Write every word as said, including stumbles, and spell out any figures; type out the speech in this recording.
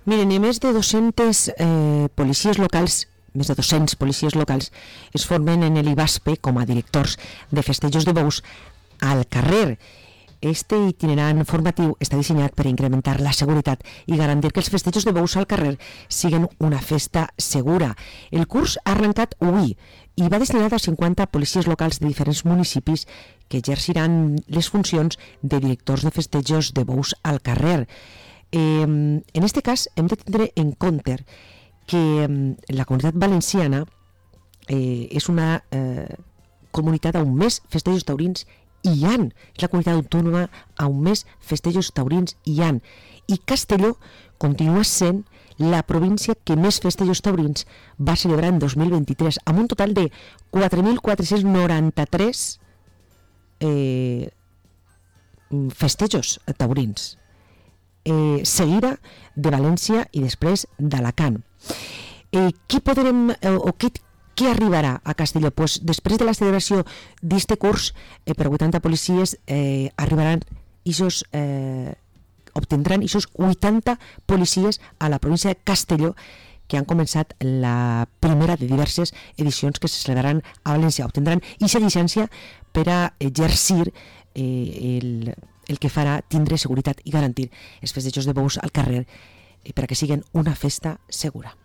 Miren, i més de dos-centes eh, policies locals, més de dos-cents policies locals, es formen en l'Ibaspe com a directors de festejos de bous al carrer. Este itinerant formatiu està dissenyat per incrementar la seguretat i garantir que els festejos de bous al carrer siguin una festa segura. El curs ha arrencat avui i va destinat a cinquanta policies locals de diferents municipis que exerciran les funcions de directors de festejos de bous al carrer. Eh, en este cas hem de tindre en compte que eh, la comunitat valenciana eh, és una eh, comunitat on més festejos taurins hi han, és la comunitat autònoma on més festejos taurins hi han, i Castelló continua sent la província que més festejos taurins va celebrar en dos mil vint-i-tres, amb un total de quatre mil quatre-cents noranta-tres eh, festejos taurins, eh, seguida de València i després d'Alacant. Eh, què podrem, eh, o què Què arribarà a Castelló? Pues després de la celebració d'este curs, eh, per vuitanta policies eh, arribaran isos, eh, obtindran isos vuitanta policies a la província de Castelló, que han començat la primera de diverses edicions que se celebraran a València. Obtindran ixa llicència per a exercir eh, el, el que farà tindre seguretat i garantir els festejos de bous al carrer eh, per a que siguin una festa segura.